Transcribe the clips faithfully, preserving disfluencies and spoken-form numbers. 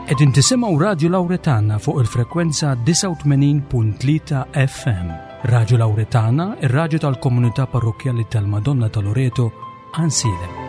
Qegħdin tisimgħu Radju Lawretana fuq il-frekwenza disgħa u tmenin punt tlieta F M. Radju Lawretana, ir-radju tal-komunità parrokkjali tal-Madonna ta' Loreto, Għajnsielem.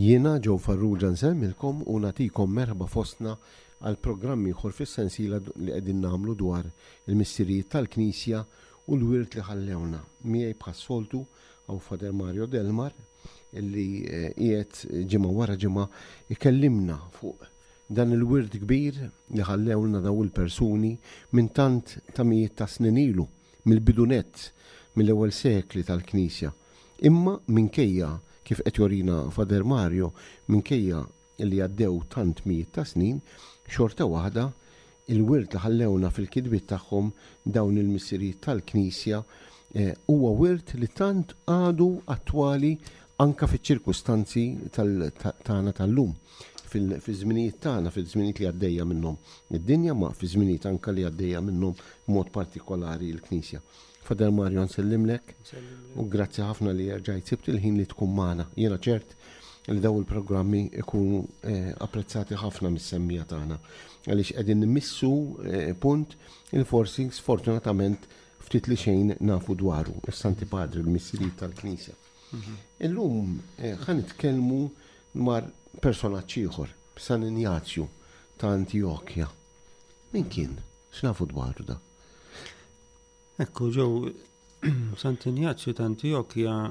Jiena Joe Farrugia nsellmilkom u nagħtikom merħba fostna għal programm ieħor fis-sensiela li qegħdin nagħmlu dwar il-missirijiet tal-Knisja u l-wirt li ħallewna. Miegħi bħas-soltu hawn Father Mario Delmar illi, eh, qiegħed ġimgħa wara ġimgħa ikellimna fuq dan il-wirt kbir li ħallewna daw il-persuni minn tant ta' mijiet ta' snin ilu, mill-bidu nett, mill-ewwel sekli tal-Knisja. Imma minkejja, kif qed jorina Father Mario, minkejja li għaddew tant mijiet ta' snin, xorta waħda il-wirt li ħallewna fil-kitbiet tagħhom dawn il-missirijiet tal-Knisja, eh, huwa wirt li tant għadu attwali anka fiċ-ċirkustanzi tal-, ta-, tagħna tal-lum, fil-, fiż-żminijiet tagħna, fiż-żminijiet li għaddejja minnhom id-dinja, ma fiż-żminijiet anka li għaddejja minnhom b'mod partikolari l-Knisja. Father Mario, nsellimlek Nsellimlek. u grazzi ħafna li rġajt sibt il-ħin li tkun magħna. Jiena ċert li daw il-programmi ikunu, eh, apprezzati ħafna mis-semmija tagħna, għaliex qegħdin nimmissu, eh, punt il forsi sfortunatament ftit li xejn nafu dwaru, is-Santi Padri, l-missirijiet tal-Knisja. Mhm. Illum, eh, ħa nitkellmu dwar personaġġ ieħor, San Injazju ta' Antjokja. Min kien? X'nafu dwaru da? Ekku, ġew Sant Injazju ta' Antjokja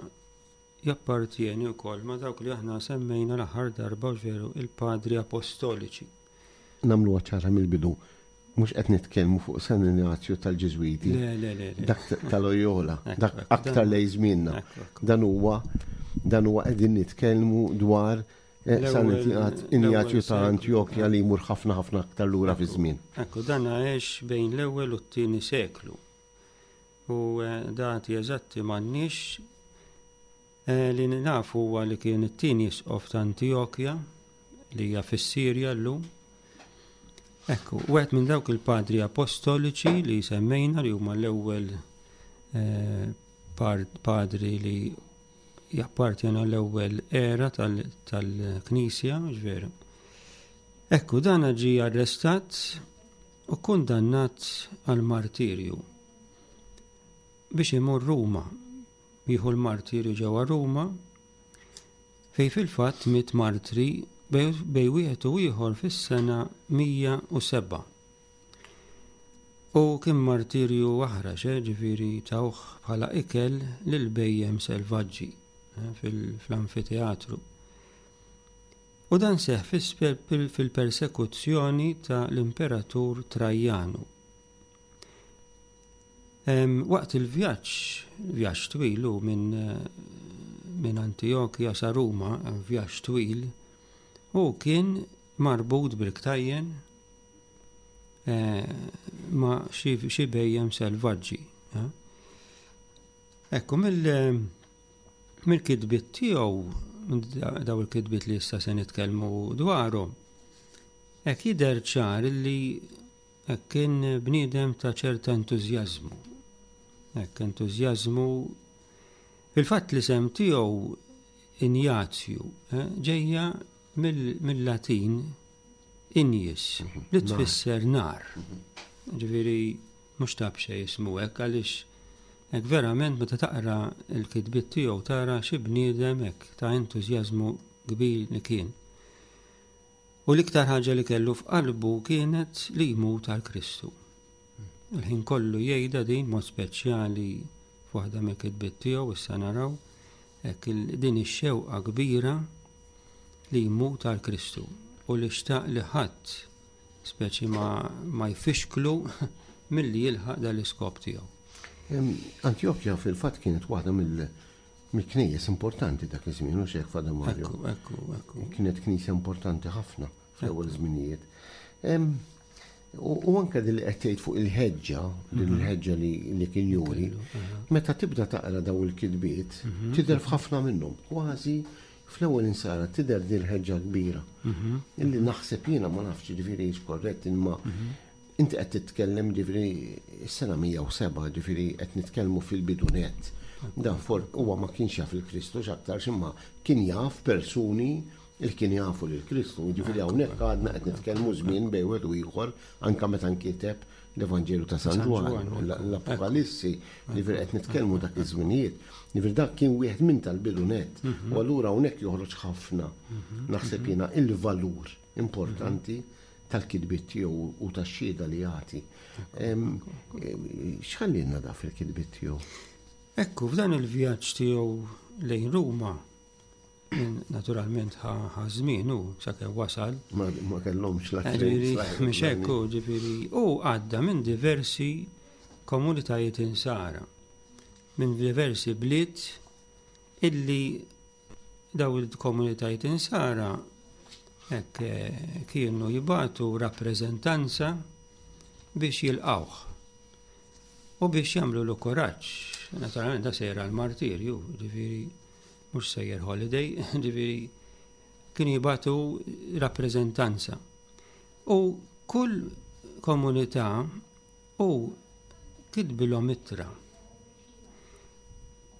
jappartieni wkoll ma' dawk li aħna semmejna l-aħħar darba, veru, il-Padri Apostoliċi. Nagħmlu ċara mill-bidu, mhux qed nitkellmu fuq San Injazju tal-Ġiżwiti. Le, le, le, le. Dak ta' Loyola, Ekku, dak ekku, aktar dan lej żmienna. Ekku, ekku. Dan huwa, dan huwa qegħdin nitkellmu dwar, eh, L-ewwel San Injazju l-ewwel ta' seklu. Antjokja li jmur ħafna ħafna aktar lura fi Ekku, żmien. Ekku, dan għex bejn l-ewwel u t-tieni seklu. U, eh, dati eżatti m'għandniex. Eh, li nafu huwa li kien it-tieni isqof ta' Antjokja li hija fis-Sirja llum. Ekku, wieħed minn dawk il-padri apostoliċi li semmejna li huma l-ewwel, eh, par-, padri li jappartjenu l-ewwel era tal-, tal-Knisja, mhux veru. Ekku, dan ġie arrestat u kundannat għal martirju. biex imur Ruma, jieħu l-martirju ġewwa Ruma, fej fil-fatt miet martri bej wieħed u ieħor fis-sena mija u sebgħa. U kien martirju aħrax, eh, ġifieri tawh bħala ikel lil bejjem selvaġġi, eh, fil-amfiteatru. U dan seħ fil-persekuzzjoni ta' l-imperatur Trajanu. Waqt il-vjaġġ, vjaġġ twil hu minn, minn Antijokja sa Ruma, vjaġġ twil, u kien marbut bil-ktajjen, eh, ma' xi bejjem selvaġġi. Eh. Ekku, mill-kitbiet tiegħu, daw il-kitbiet li issa se nitkellmu dwarhom, hekk jidher ċar li hekk kien bniedem ta' ċerta entużjażmu. Hekk entużjażmu fil-fatt li sem tiegħu Injazju, eh, ġejja mill-Latin injis, li tfisser nar. Ġifieri mhux ta' b'xejn jismu hekk, għaliex hekk verament meta taqra l-kitbiet tiegħu tara xi bniedem hekk ta' entużjażmu kbir li kien. U l-iktar ħaġa li kellu f'qalbu kienet li jmut għal Kristu. Il-ħin kollu jgħidha din mod speċjali f'waħda mill-kitbiet tiegħu, issa naraw hekk din ix-xewqa kbira li jmut għal Kristu u li xtaq li ħadd speċi ma, ma jfixklu milli jilħaq dal-iskop tiegħu. Antjokja fil-fatt kienet waħda mill-knejjes importanti dak iż-żmien, u xejn Father Mario. Ekku, ekku, ekku. Kienet knisja importanti ħafna fl-ewwel żminijiet. U, u anke din li qed tgħid fuq il-ħeġġa, din Mhm. il-ħeġġa li, li kien juri, meta tibda taqra daw il-kitbiet, Mhm. tidher f'ħafna minnhom, kważi fl-ewwel insara tidher din il-ħeġġa kbira. Mhm. Illi naħseb jiena ma nafx ġifieri hix korrett, imma Mhm. inti qed titkellem ġifieri s-sena mija u sebgħa, ġifieri qed nitkellmu fil-bidunet. Dan for huwa ma kienx jaf il-Kristu x'aktarx, imma kien jaf persuni il kien jafu lil Kristu. Ġifieri hawnhekk għadna qed nitkellmu żmien bejn wieħed u ieħor anke meta nkiteb l-Evanġelju ta' San San Ġwann, Ġwann, l-Apokalissi, ġifieri qed nitkellmu dak iż-żminijiet. Ġifieri dak kien wieħed minn tal-bidunet. Mhm. U allura hawnhekk joħroġ ħafna, naħseb jiena, il-valur importanti tal-kitbiet tiegħu u tax-xhieda li jagħti. X'ħallilna da fil-kitbiet tiegħu? Ekku, f'dan il-vjaġġ tiegħu lejn Ruma, naturalment ħa żmien hu sakemm wasal. Ma, ma kellhomx la Ġifieri, trains, la mhux hekk hu, ġifieri, u għadda minn diversi komunitajiet insara, minn diversi bliet illi daw il-komunitajiet insara hekk, eh, kienu jibatu rappreżentanza biex jilqawh u biex jagħmlu l kuraġġ. Naturalment da sejra l-martirju, ġifieri mhux sejjer holiday, ġifieri kienu jibatu rappreżentanza. U kull komunità u kitbilhom ittra.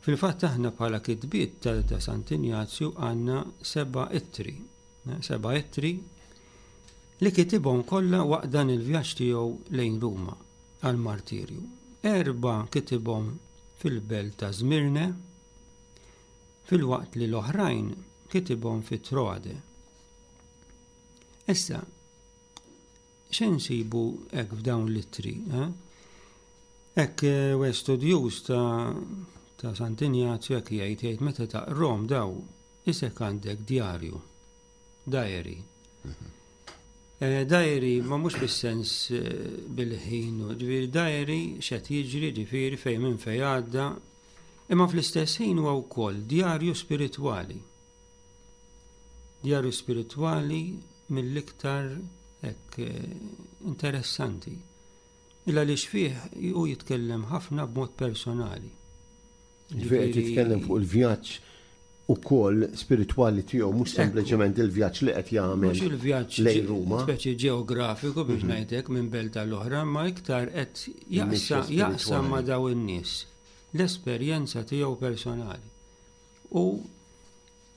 Fil-fatt aħna bħala kitbiet ta', ta' Sant'Injazju għandna seba' ittri, eh, seba' ittri li kitibhom kollha waqt dan il-vjaġġ tiegħu lejn Ruma għall-martirju. Erba' kitibhom fil-belt ta' Smirne, fil-waqt li l-oħrajn kitibhom fi Troade. Issa, x'insibu hekk f'dawn l-ittri? Eh? Hekk, eh, u studjuż ta', ta' Sant'Injazju hekk jgħid, jgħid meta taqrom daw isek għandek djarju, diary. Eh, diary ma mhux fis-sens, eh, bil-ħin, ġifieri diary x'qed jiġri, ġifieri fejn minn fejn għadda, imma fl-istess ħin huwa wkoll djarju spiritwali. Djarju spiritwali mill-iktar hekk, eh, interessanti. Illa li xfih hu jitkellem ħafna b'mod personali. Ġifieri qed jitkellem fuq il-vjaġġ ukoll spiritwali tiegħu, mhux Ekku. sempliċement il-vjaġġ li qed jagħmel Mhux il-vjaġġ lejn Ruma. Speċi ġeografiku biex Mhm. ngħidlek minn belt tal-oħra, ma iktar qed Il-mixja jaqsa-, jaqsam spiritwali. ma' daw in-nies l-esperjenza tiegħu personali. U,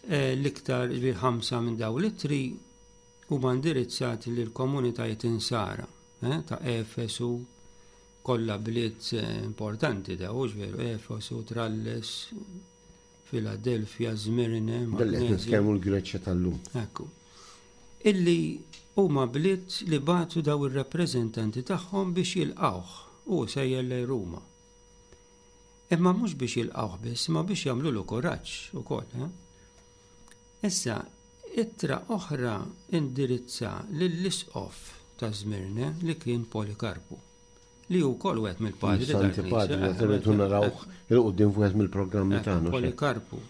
eh, l-iktar ġifieri ħamsa minn daw l-ittri huma indirizzati lil komunitajiet insara, eh, ta' Efesu, Kollha bliet eh, importanti da, hux veru, Efesu, Tralles, Filadelfja, Zmirne, Dalli qed nitkellmu l-Greċja tal-lum. Ekku. Illi huma bliet li bagħtu daw ir-rappreżentanti tagħhom biex jilqawh u sejjer lejn Ruma. Imma mhux biex jilqawh biss, imma biex jagħmlulu kuraġġ ukoll. Eh? Issa, ittra oħra indirizza lill-isqof ta' Zmirne li kien Polikarpu, li hu wkoll wieħed mill-padri Santi tal-Knisja. Padri, rridu narawh 'il quddiem f'wieħed mill-programmi Eh, tagħna. Polikarpu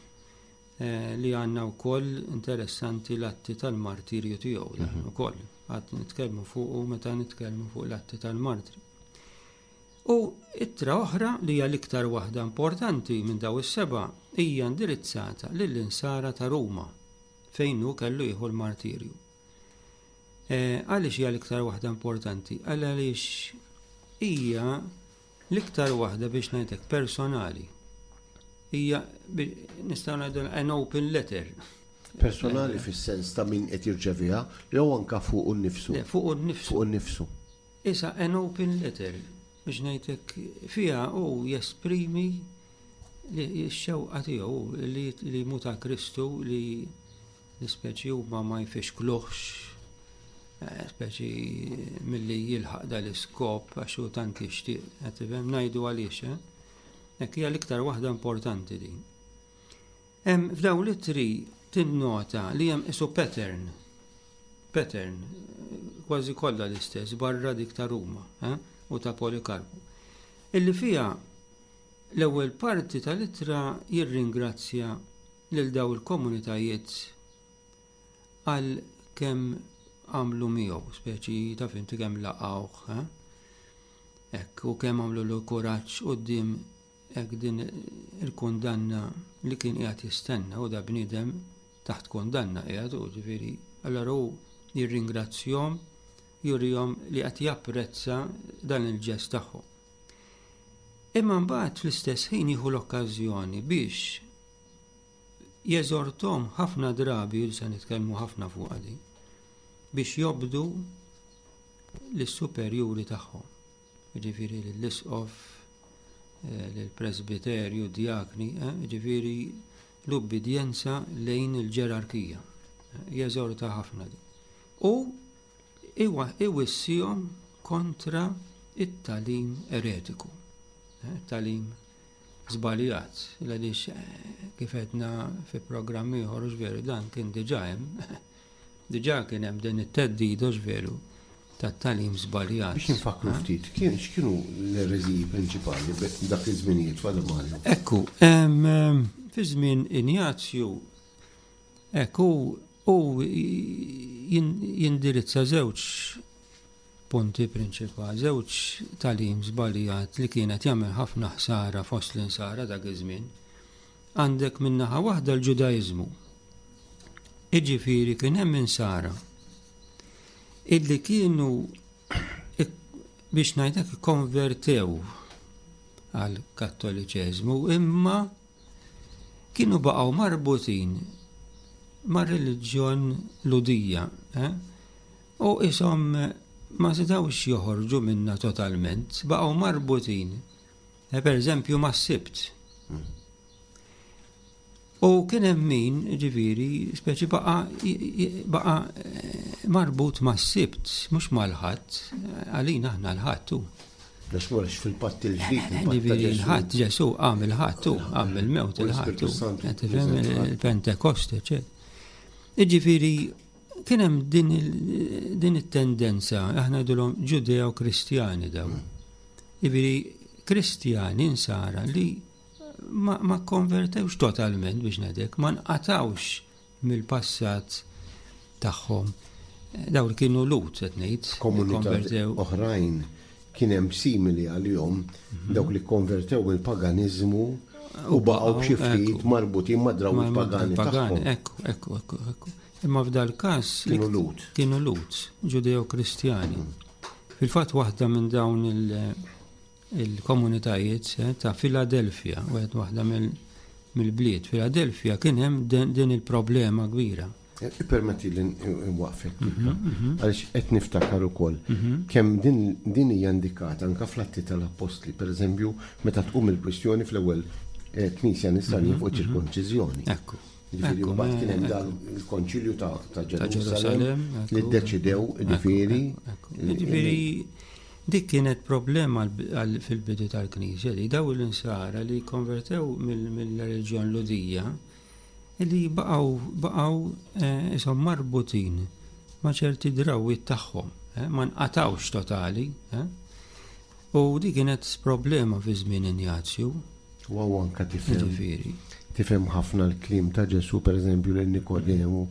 eh, li għandna wkoll interessanti l-atti tal-martirju tiegħu dan ukoll. Għad nitkellmu fuq meta nitkellmu fuq l-atti tal-martri. U ittra oħra li hija l-iktar waħda importanti minn daw is-seba' hija indirizzata lill-insara ta' Ruma fejn hu kellu jieħu l-martirju. Eh, Għaliex hija l-iktar waħda importanti? Għaliex hija l-iktar waħda biex ngħidlek personali. Hija bi- nistgħu ngħidu an open letter. Personali fis-sens ta' min qed jirċeviha jew anka fuq nnifsu. Le, fuq nnifsu. Fuq nnifsu. Issa an open letter biex ngħidlek fiha hu jesprimi li x-xewqa tiegħu li li jmut għal Kristu li l-ispeċi huma ma jfixkluhx eh, speċi milli jilħaq dal-iskop għax hu tant jixtieq, qed tifhem ngħidu għaliex, eh? Hekk hija l-iktar waħda importanti din. Hemm f'dawn l-ittri tinnota li hemm isu pattern, pattern, kważi kollha l-istess barra dik ta' Ruma eh? u ta' Polikarpu. Illi fiha l-ewwel parti tal-ittra jirringrazzja lil daw il-komunitajiet għal kemm għamlu miegħu, speċi ta' finti kemm laqgħuh, eh? Hekk, u kemm għamlulu kuraġġ quddiem hekk din il-kundanna li kien qiegħed jistenna u da bniedem taħt kundanna qiegħed u ġifieri allura hu jirringrazzjahom jurihom li qed japprezza dan il-ġest tagħhom. Imma mbagħad fl-istess ħin jieħu l-okkażjoni biex jeżortom ħafna drabi, li se nitkellmu ħafna fuq din, biex jobdu lis-superjuri tagħhom. Jiġifieri lill-isqof, eh, lill-presbiterju, djakni, eh, jiġifieri l-ubbidjenza lejn il-ġerarkija. Eh, Jeżorta ħafna din. U iwa- iwissihom kontra it-tagħlim eretiku, eh, it-tagħlim żbaljat, għaliex eh, kif għedna fi programm ieħor hux veru dan kien diġà hemm, diġà kien hemm din it-theddida hux veru tat-tagħlim żbaljat. Biex nfakru ftit, kien x'kienu l-ereżiji prinċipali dak iż-żminijiet Father Mario? Ekku, em, em, fi żmien Injazju, ekku, u jin- jindirizza żewġ punti prinċipali, żewġ tagħlim żbaljat li kienet jagħmel ħafna ħsara fost l-insara dak iż-żmien. Għandek min-naħa waħda l-Ġudaiżmu. Iġifieri kien hemm insara illi kienu ik- biex ngħidlek konvertew għal kattoliċeżmu imma kienu baqgħu marbutin mar-reliġjon Lhudija, eh? U ishom ma setgħux joħorġu minna totalment, baqgħu marbutin. Eh, per eżempju mas-Sibt. U kien hemm min, ġifieri, speċi baqa baqa eh, marbut mas-Sibt, mhux mal-Ħadd, għalina aħna l-Ħadd hu. Għax mhux fil-patt il-ġdid, il-patt ta' Ġifieri Ġesù. l-Ħadd Ġesù qam il-Ħadd hu, qam il-mewt U il-Ħadd l-Ispirtu hu. Santu Qed tifhem niżel il-Ħadd. il-Pentekoste, eċetera. Ġifieri kien hemm din il- din it-tendenza, aħna ngħidulhom Ġudeo-Kristjani daw. Ġifieri Kristjani insara li ma, ma konvertewx totalment biex ngħidlek, ma nqatawx mill-passat tagħhom. Daw li kienu Lhud qed ngħid, Komunità konvertew. oħrajn kien hemm simili għalihom dawk li konvertew mill-paganiżmu u baqgħu b'xi ftit Ekku. marbutin ma' drawwiet Ma- pagani tagħhom. Ekku, ekku, ekku, ekku. Imma f'dal każ Kienu Lhud. Kienu Lhud, Ġudeo-Kristjani. Fil-fatt waħda minn dawn il- il-komunitajiet eh, ta' Filadelfia, wieħed waħda mill- mill-bliet Filadelfia kien hemm din din il-problema kbira. Permetti li nwaqfek, għaliex qed niftakar ukoll kemm din hija indikata anke fl-Atti tal-Appostli, pereżempju, meta tqum il-kwistjoni fl-ewwel Knisja Nisranija fuq ċirkonċiżjoni. Ekku. Ġifieri mbagħad kien hemm dan il-Konċilju ta' Ġerusalemm li ddeċidew, ġifieri. Ġifieri dik kienet problema fil-bidu tal-Knisja li daw l-insara li konvertew mill-reliġjon Lhudija li baqgħu baqgħu isom marbutin ma' ċerti drawwiet tagħhom, ma nqatawx totali. U di kienet problema fi żmien Injazju. U anka tifhem. Tifhem ħafna l-kliem ta' Ġesu, per eżempju, lil Nikodemu,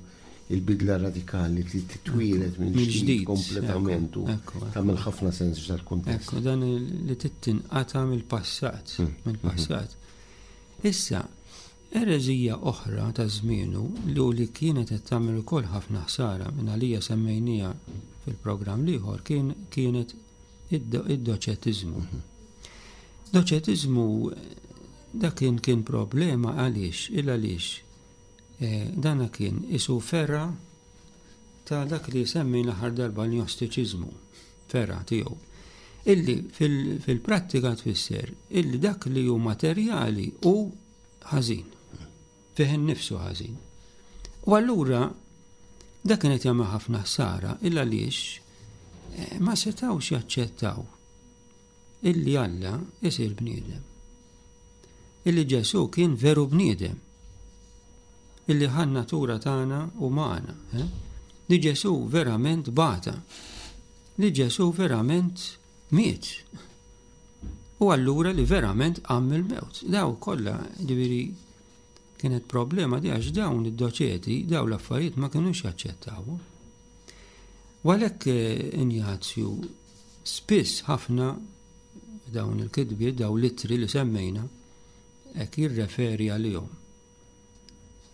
il-bidla radikali li titwieled minn ġdid kompletament u tagħmel ħafna sens f'dal-kuntest. Ekku, dan li tittinqata mill-passat, mill-passat. Issa, ereżija oħra ta' żmienu li li kienet qed tagħmel ukoll ħafna ħsara minn għalija semmejnija fil-programm l-ieħor kien kienet id-doċetiżmu. Doċetiżmu dak kien kien problema għaliex, il għaliex dana kien isu ferra ta' dak li semmi l-aħħar darba l-gnostiċiżmu, ferra tiegħu. Illi fil-prattika tfisser illi dak li hu materjali hu ħażin, fih innifsu ħażin. U allura dak kienet jagħmel ħafna ħsara il għaliex ma setgħux jaċċettaw illi Alla isir bniedem. Illi Ġesu kien veru bniedem. Illi ħa natura tagħna umana. Eh? Li Ġesu verament bata. Li Ġesu verament miet. U allura li verament qam mill-mewt. Daw kollha, ġifieri, kienet problema di għax dawn id-doċeti, daw l-affarijiet ma kinux jaċċettaw. U għalhekk Injazju spiss ħafna dawn il-kitbiet, dawn l-ittri li semmejna, hekk jirreferi għalihom.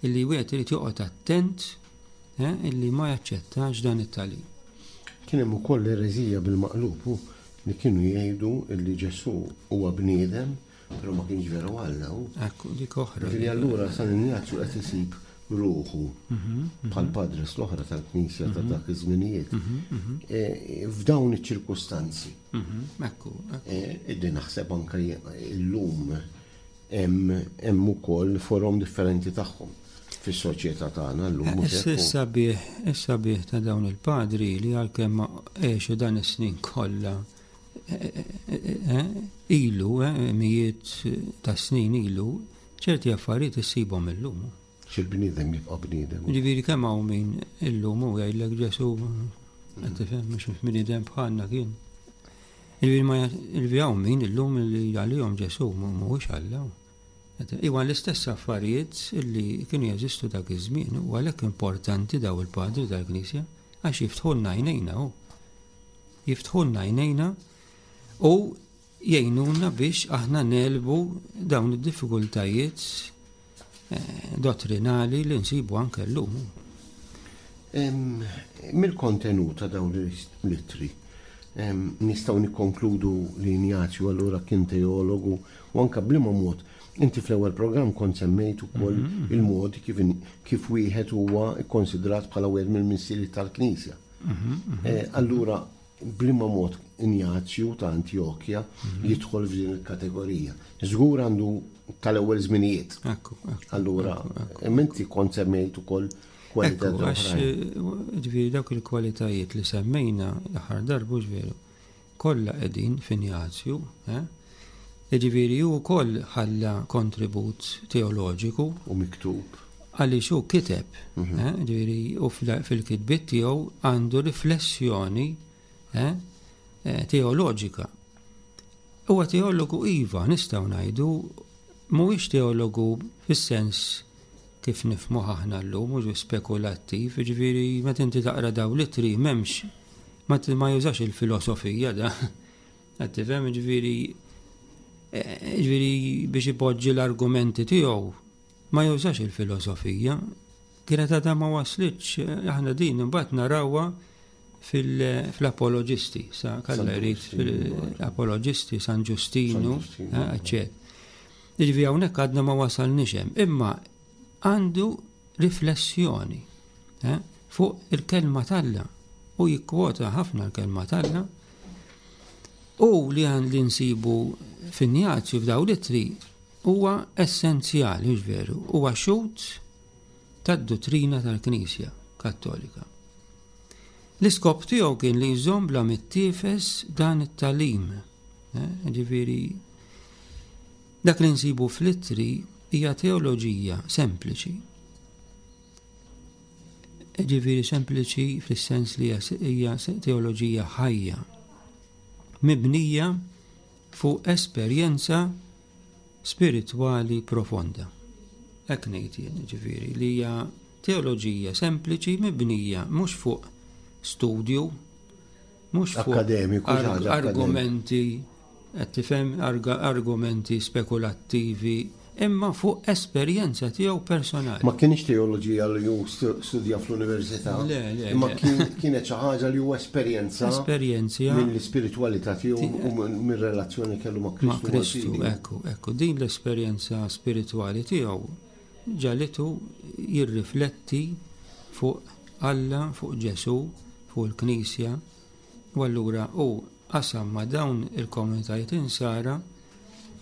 Illi wieħed irid joqgħod attent illi ma jaċċettax dan it-tagħlim. Kien hemm ukoll ereżija bil-maqlub li kienu jgħidu illi Ġesu huwa bniedem, però ma kienx veru Alla. Ekku, dik oħra. Ġifieri allura San Injazju qed isib ruħu bħal padres l-oħra tal-Knisja ta' dak iż-żminijiet. F'dawn iċ-ċirkustanzi. Ekku. Illi naħseb anke illum hemm ukoll forom differenti tagħhom fis-soċjetà tagħna llum. Is-sabiħ, is-sabiħ ta' dawn il-padri li għalkemm għexu dan is-snin kollha ilu, mijiet ta' snin ilu, ċerti affarijiet issibhom illum. Xil-bniedem jibqa' bniedem. Ġifieri kemm hawn min illum u jgħidlek Ġesu qed tifhem mhux bniedem bħalna kien. Ġifieri ma hawn min illum li għalihom Ġesu mhuwiex Alla. Iwa l-istess affarijiet li kienu jeżistu dak iż-żmien u għalhekk importanti daw il-padri tal-Knisja għax jiftħulna għajnejna hu. Jiftħulna għajnejna u jgħinuna biex aħna nelbu dawn id-diffikultajiet dottrinali li nsibu anke llum. Mill-kontenut ta' dawn l-ittri nistgħu nikkonkludu li Injazju allura kien teologu u anke b'liema mod inti fl-ewwel programm kont semmejt ukoll il-mod kif kif wieħed huwa kkonsidrat bħala wieħed mill-missieri tal-Knisja. Allura b'liema mod Injazju ta' Antjokja jidħol f'din il-kategorija. Żgur għandu tal-ewwel żminijiet. Allura, inti kont semmejt ukoll kwalitajiet oħrajn. Ġifieri dawk il-kwalitajiet li semmejna l-aħħar darba veru, kollha qegħdin f'Injazju, eh? Ġifieri hu wkoll ħalla kontribut teoloġiku u miktub. Għaliex hu kiteb, ġifieri u fil-kitbiet tiegħu għandu riflessjoni teoloġika. Huwa teologu iva, nistgħu ngħidu, mhuwiex teologu fis-sens kif nifhmu aħna llum, mhux spekulattiv, ġifieri meta inti taqra dawn l-ittri m'hemmx ma jużax il-filosofija da. Qed tifhem, ġifieri ġifieri biex ipoġġi l-argumenti tiegħu ma jużax il-filosofija. Kienet għadha ma waslitx, aħna din imbagħad narawha fil-apoloġisti, sa kalla jrid fil-apoloġisti San Ġustinu, eċċetera. Ġifieri hawnhekk għadna ma wasalniex hemm, imma għandu riflessjoni. eh, fuq il-kelma t'Alla u jikkwota ħafna l-kelma t'Alla u li għan li nsibu f'Injazju f'daw l-ittri huwa essenzjali, mhux veru, huwa xhud tad-dottrina tal-Knisja Kattolika. L-iskop tiegħu kien li jżomm bla mittiefes dan it-tagħlim. Eh, ġifieri dak li nsibu fl-ittri hija teoloġija sempliċi. Ġifieri sempliċi fis-sens li hija teoloġija ħajja, mibnija fuq esperjenza spiritwali profonda. Hekk ngħid jien, ġifieri li hija teoloġija sempliċi mibnija mhux fuq studju, mhux fuq Akkademiku, xi ħaġa argumenti, qed tifhem, argumenti spekulattivi, imma fuq esperjenza tiegħu personali. Ma kienx teoloġija li hu studja fl-università. Le, le, Imma le. kien- kienet xi ħaġa li hu esperjenza Esperjenza mill-ispiritwalità tiegħu u mir-relazzjoni kellu ma' ma' Kristu. Kristu, mal-fidi. ekku, ekku, din l-esperjenza spiritwali tiegħu ġagħlitu jirrifletti fuq Alla, fuq Ġesù, fuq il-Knisja, u allura hu qasam ma' dawn il-komunitajiet insara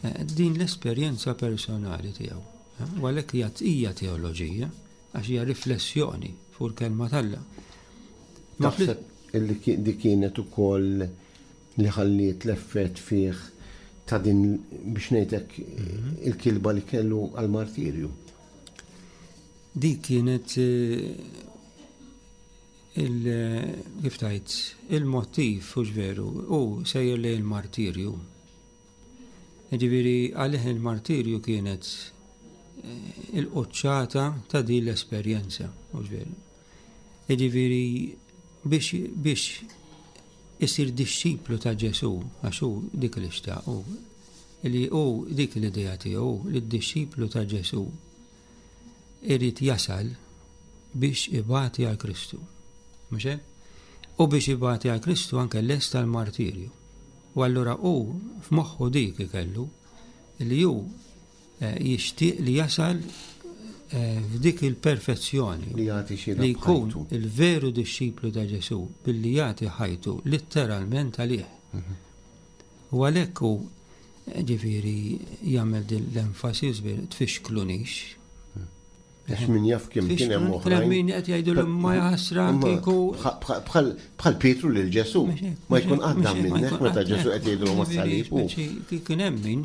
eh, din l-esperjenza personali tiegħu. eh, U għalhekk hija hija teoloġija, għax hija riflessjoni fuq il-kelma t'Alla. Ma fl- Taħseb illi ki- di kienet ukoll li ħalliet l-effett fih ta' din biex ngħidlek il-kilba li kellu għal-martirju. Dik kienet eh, il kif tajt, il-motiv, hux veru, u sejjer lejn il-martirju. Ġifieri għalih il-martirju kienet eh, il-qoċċata ta' din l-esperjenza, hux veru. Ġifieri biex, biex isir dixxiplu ta' Ġesù, għax hu dik li xtaq, hu li hu dik l-idea tiegħu li d-dixxiplu ta' Ġesù irid jasal biex ibati għal Kristu. Mhux hekk? U biex ibati għal Kristu anke lest tal-martirju. U allura hu f'moħħu dik ikellu li hu eh, jixtieq li jasal eh, f'dik il-perfezzjoni Li jagħti xhieda li jkun b'ħajtu. il-veru dixxiplu ta' Ġesù billi jagħti ħajtu letteralment għalih. U għalhekk hu eh, ġifieri jagħmel din l-enfasi żbir tfixklunix. Għax min jaf kemm kien hemm Kien hemm oħrajn. min qed jgħidu ma jaħasra Imma kieku bħal- Bħal bħal Pietru lil Ġesù ma jkun għadda minnek meta Ġesù qed jgħidlu mas-salib. u- Kien hemm min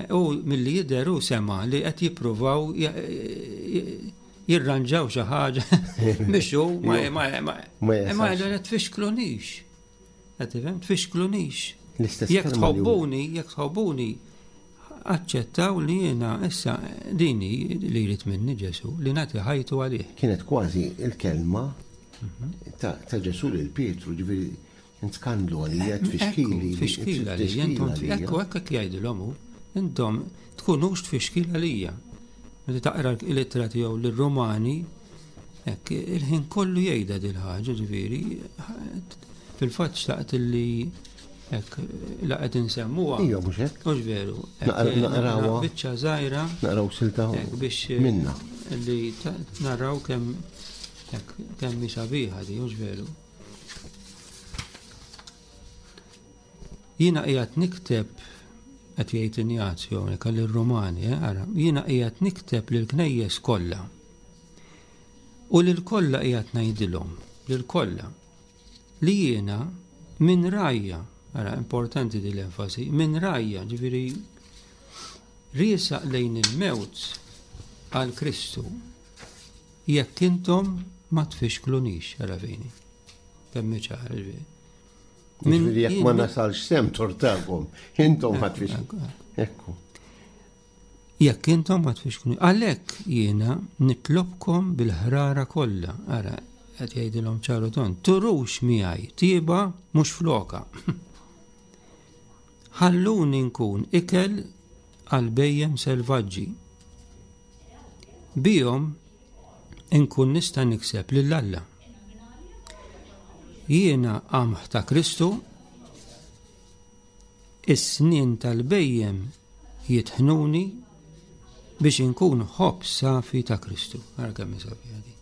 u milli jidher hu sema li qed jippruvaw jirranġaw xi ħaġa biex hu ma ma ma Ma ma jasalx. jgħidu tfixklunix. Qed tifhem tfixklunix. L-istess Jekk kelma li hu- tħobbuni, jekk tħobbuni, aċċettaw li jiena issa dini li jrid minni Ġesù li nagħti ħajtu għalih. Kienet kważi il-kelma ta' ta' Ġesù lil Pietru, ġifieri skandlu għalija, tfixkili. Ekku, Tfixkil għalija, intom ekku hekk hekk jgħidilhom hu, intom tkunux tfixkil għalija. Meta taqra l-ittra tiegħu lir-Rumani, hekk il-ħin kollu jgħidha dil ħaġa ġifieri, fil-fatt xtaqt li hekk la qed insemmuha. Ija, mhux hekk. Mhux veru. hekk, Naqra- naqrawha. Biċċa żgħira Naqraw silta hekk biex minna. li ta- naraw kemm hekk kemm hi sabiħa di, mhux veru. Jiena qiegħed nikteb qed jgħid Injazju hawnhekk għall-Rumani, eh, ara, jiena qiegħed nikteb lill-knejjes kollha. U lil kollha qiegħed ngħidilhom, lil kollha, li jiena minn rajja, ara importanti din l-enfasi, minn rajja, ġifieri riesaq lejn il-mewt għal Kristu jekk intom ma tfixklunix, ara fejni. Kemm hi ċara, ġifieri. Min- Ġifieri jekk ma jien- nasalx sem tortakom, intom ma tfixklu. Ekku. Jekk intom ma tfixkluni. Għalhekk jiena nitlobkom bil-ħrara kollha. Ara, qed jgħidilhom ċaru ton, turux miegħi tieba mhux floka. Ħalluni nkun ikel għal bejjem selvaġġi. Bihom inkun nista' nikseb lil Alla. Jiena qamħ ta' Kristu, is-snien tal-bejjem jitħnuni biex inkun ħobż safi ta' Kristu. Ara kemm hi sabiħa di.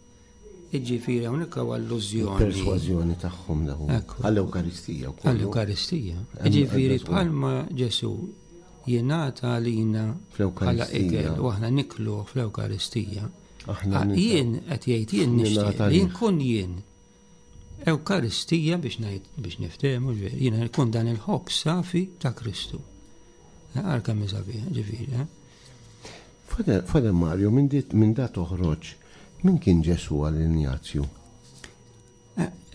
Jiġifieri hawnhekk hawn allużjoni. Persważjoni tagħhom dawn. Għall-Ewkaristija wkoll. Għall-Ewkaristija. Jiġifieri bħalma Ġesù jingħata għalina bħala ikel u aħna niklu fl-Ewkaristija. Jien qed jgħid jien nixtieq li nkun jien Ewkaristija biex ngħid biex niftehmu jiena nkun dan il-ħobż safi ta' Kristu. Għal kemm sabiħ, ġifieri. Father Mario, minn da toħroġ, min kien Ġesù għal Injazju?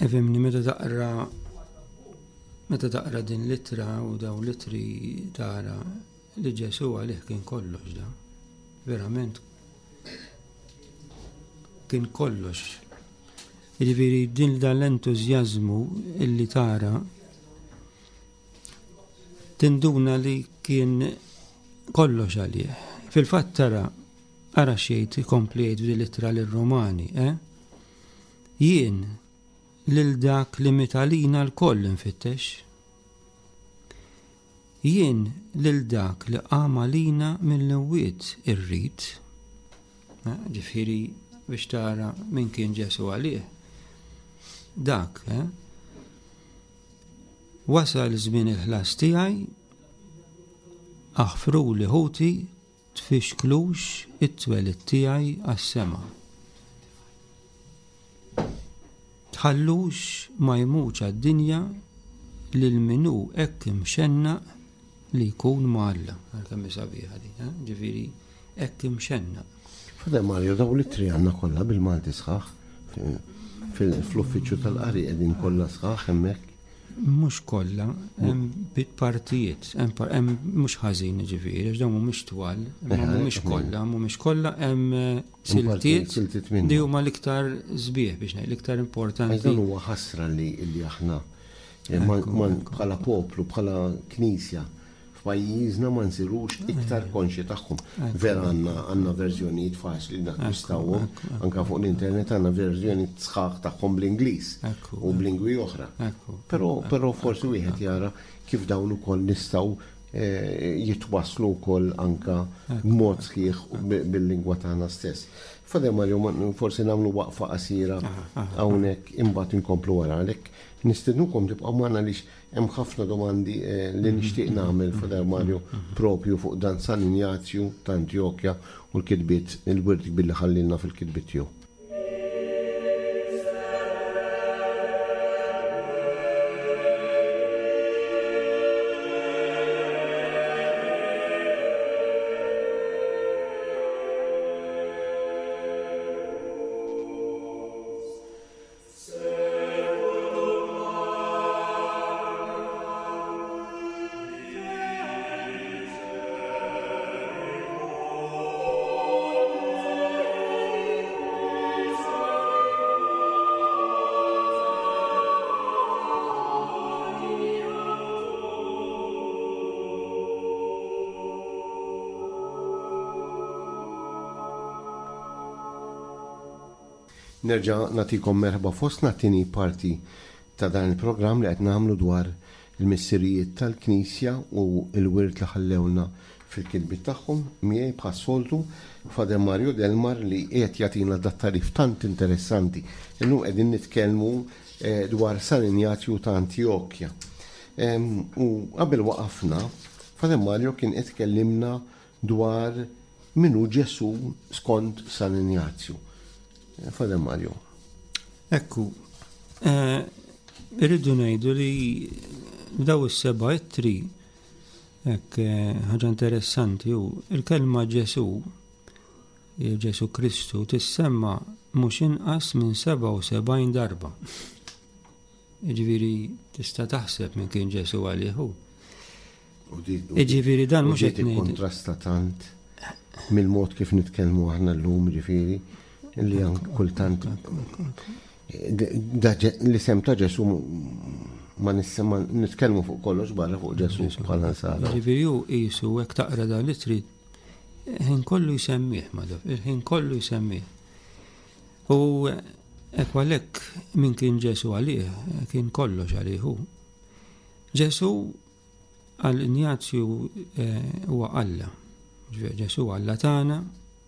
Efimni, meta taqra meta taqra din l-ittra u daw l-ittri tara li Ġesù għalih kien kollox da. Verament kien kollox. Jiġifieri din dan l-entużjażmu illi tara tinduna li kien kollox għalih. Fil-fatt tara ara xejn ikompli jgħid f'din l-ittra lir-Rumani, eh? Jien lil dak li mitalina l-koll infittex. Jien lil dak li qam għalina mill-imwiet irrid. Ġifieri biex tara min kien Ġesù għalih. Dak, eh? Wasal żmien il-ħlas tiegħi, aħfruli ħuti, tfixklux it-twelid tiegħi għas-sema. Tħallux ma jmutx għad-dinja lil min hu hekk imxennaq li jkun ma' Alla. Għal kemm hi sabiħa din, eh? Ġifieri hekk imxennaq. Father Mario, daw l-ittri għandna kollha bil-Malti sħaħ fl-uffiċċju tal-qari qegħdin kollha sħaħ hemmhekk. Mhux kollha, hemm partijiet, hemm mhux ħażin ġifieri, għax dawn mhumiex twal, mhumiex kollha, mhumiex kollha hemm siltiet li huma l-iktar sbieħ biex ngħid, l-iktar importanti. Dan huwa ħasra li li aħna bħala poplu, bħala knisja f'pajjiżna ma nsirux iktar konxji tagħhom. Vera għandna għandna verżjonijiet faċli nakkwistawhom, anke fuq l-internet għandna verżjonijiet sħaħ tagħhom bl-Ingliż u b'lingwi oħra. Però però forsi wieħed jara kif dawn ukoll nistgħu jitwasslu wkoll anke b'mod sħiħ bil-lingwa tagħna stess. Father Mario, forsi nagħmlu waqfa qasira hawnhekk imbagħad inkomplu wara għalhekk nistednukom tibqgħu magħna għaliex hemm ħafna domandi li nixtieq nagħmel Father Mario propju fuq dan San Injazju ta' Antjokja u l-kitbiet il-wirt billi ħallilna fil-kitbiet tiegħu. Nerġa' nagħtikom merħba fostna t-tieni parti ta' dan il-programm li qed nagħmlu dwar il-missirijiet tal-Knisja u l-wirt li ħallewna fil-kitbiet tagħhom. Miegħi bħas-soltu Father Mario Delmar li qiegħed jagħtina dat tarif tant interessanti. Illum qegħdin nitkellmu dwar San Injazju ta' Antjokja. U qabel waqafna, Father Mario kien qed tkellimna dwar min hu Ġesù skont San Injazju. Father Mario. Ekku, irridu ngħidu li daw is-seba' ittri, hekk ħaġa interessanti hu il-kelma Ġesù, Ġesù Kristu tissemma mhux inqas minn seba' u sebgħin darba. Jiġifieri tista' taħseb minn kien Ġesù għalih hu. Jiġifieri dan mhux qed ngħid. Kontrasta tant mill-mod kif nitkellmu aħna llum, jiġifieri li kultant l-isem ta' Ġesù ma nitkellmu fuq kollox barra fuq Ġesù bħala nsara. Ġifieri hu qisu hekk taqra dan li trid il-ħin kollu jsemmih, madaf, il-ħin kollu jsemmih. U hekk għalhekk min kien Ġesù għalih, kien kollox għalih hu. Ġesù għal Injazju huwa Alla. Ġesù Alla tagħna,